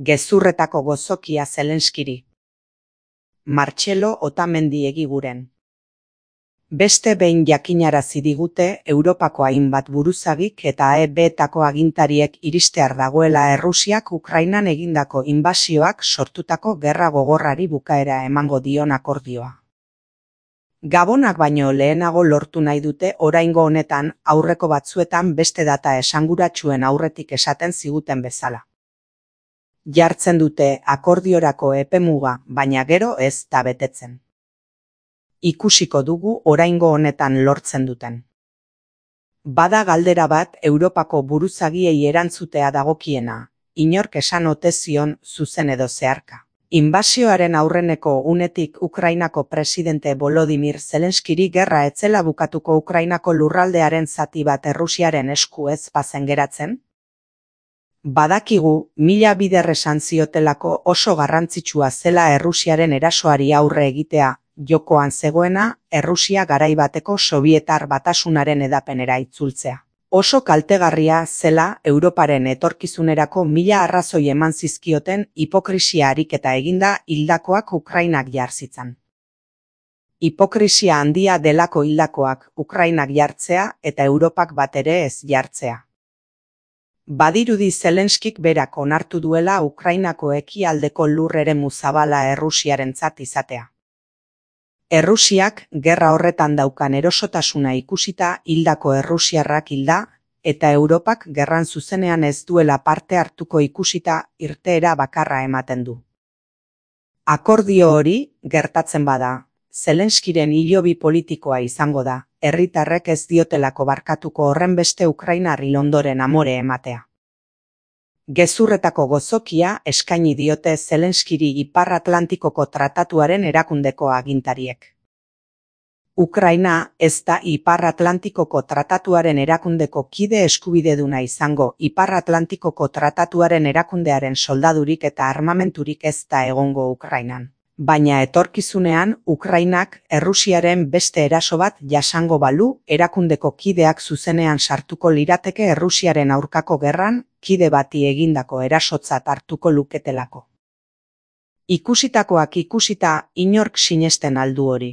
Gezurretako gozokia Zelenskiri. Martxelo Otamendi Egiguren. Beste behin jakinarazi digute Europako hainbat buruzagik eta EB-etako agintariek iristear dagoela Errusiak Ukrainan egindako inbasioak sortutako gerra gogorrari bukaera emango dion akordioa. Gabonak baino lehenago lortu nahi dute oraingo honetan, aurreko batzuetan beste data esanguratsuen aurretik esaten ziguten bezala. Jartzen dute akordiorako epemuga, baina gero ez da betetzen. Ikusiko dugu oraingo honetan lortzen duten. Bada galdera bat Europako buruzagiei erantzutea dagokiena, inork esan ote zion zuzen edo zeharka. Inbasioaren aurreneko unetik Ukrainako presidente Volodymyr Zelenskiri gerra etzela bukatuko Ukrainako lurraldearen zati bat Errusiaren esku ez bazen geratzen? Badakigu, mila bider esan ziotelako oso garrantzitsua zela Errusiaren erasoari aurre egitea, jokoan zegoena Errusia garai bateko Sobietar Batasunaren edapenera itzultzea. Oso kaltegarria zela Europaren etorkizunerako mila arrazoi eman zizkioten hipokrisia ariketa eginda hildakoak Ukrainak jarzitzan. Hipokrisia handia delako hildakoak Ukrainak jartzea eta Europak bat ere ez jartzea. Badirudi Zelenskik berak onartu duela Ukrainako ekialdeko lur eremu zabala Errusiarentzat izatea. Errusiak gerra horretan daukan erosotasuna ikusita hildako errusiarrak hilda, eta Europak gerran zuzenean ez duela parte hartuko ikusita irteera bakarra ematen du. Akordio hori gertatzen bada, Zelenskiren hilobi politikoa izango da, herritarrek ez diotelako barkatuko horrenbeste Ukrainar hil ondoren amore ematea. Gezurretako gozokia eskaini diote Zelenskiri Ipar Atlantikoko Tratatuaren erakundeko agintariek. Ukraina ez da Ipar Atlantikoko Tratatuaren erakundeko kide eskubideduna izango. Ipar Atlantikoko Tratatuaren erakundearen soldadurik eta armamenturik ez da egongo Ukrainan. Baina etorkizunean, Ukrainak Errusiaren beste eraso bat jasango balu, erakundeko kideak zuzenean sartuko lirateke Errusiaren aurkako gerran, kide bati egindako erasotzat hartuko luketelako. Ikusitakoak ikusita, inork sinesten aldu hori.